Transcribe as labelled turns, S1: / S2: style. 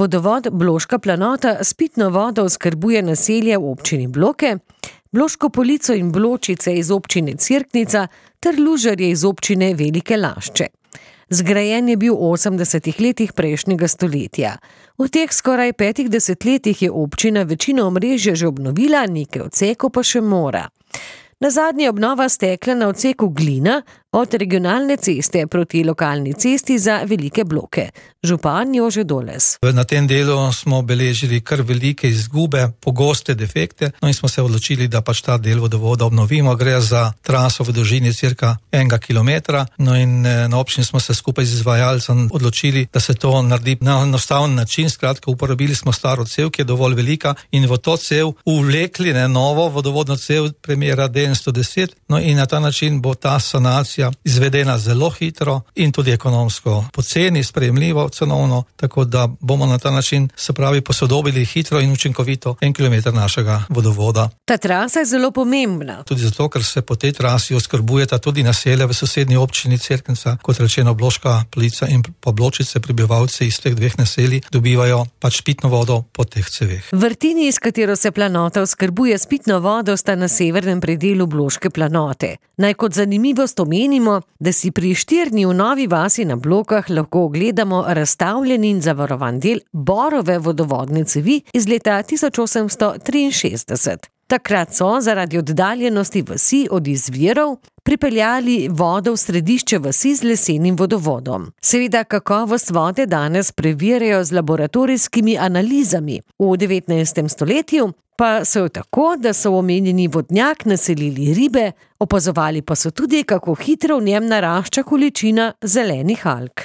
S1: Vodovod Bloška Planota s pitno vodo oskrbuje naselje v občini Bloke, Bloško Polico in Bločice iz občine Cerknica ter Lužarje iz občine Velike Lašče. Zgrajen je bil v 80. letih prejšnjega stoletja. V teh skoraj 5 desetletjih je občina večino omrežja že obnovila, nekaj odsekov pa še mora. Nazadnje obnova stekla na odseku Glina od regionalne ceste proti lokalni cesti za Velike Bloke. Župan Jože Doles.
S2: Na tem delu smo beležili kar velike izgube, pogoste defekte, in smo se odločili, da pač ta del vodovoda obnovimo. Gre za traso v dolžini cirka 1 kilometra, in na občini smo se skupaj z izvajalcem odločili, da se to naredi na enostaven način. Skratka, uporabili smo staro cev, ki je dovolj velika, in v to cev uvlekli novo vodovodno cev premjera D110, in na ta način bo ta sanacija izvedena zelo hitro in tudi ekonomsko poceni, sprejemljivo, cenovno, tako da bomo na ta način, se pravi, posodobili hitro in učinkovito 1 kilometer našega vodovoda.
S1: Ta trasa je zelo pomembna.
S2: Tudi zato, ker se po tej trasi oskrbujeta tudi naselja v sosednji občini Cerknica, kot rečeno Bloška Polica in pa Bločice. Prebivalci iz teh dveh naselij dobivajo pač pitno vodo po teh ceveh.
S1: Vrtini, s katero se Planota oskrbuje s pitno vodo, sta na severnem predelu Bloške Planote. Naj kot zanimivost omenimo, da si pri Štirni v Novi vasi na Blokah lahko ogledamo razstavljen in zavarovan del borove vodovodne cevi iz leta 1863. Takrat so zaradi oddaljenosti vasi od izvirov pripeljali vodo v središče vasi z lesenim vodovodom. Seveda kakovost vode danes preverjajo z laboratorijskimi analizami. V 19. stoletju pa so jo tako, da so v omenjeni vodnjak naselili ribe, opazovali pa so tudi, kako hitro v njem narašča količina zelenih alg.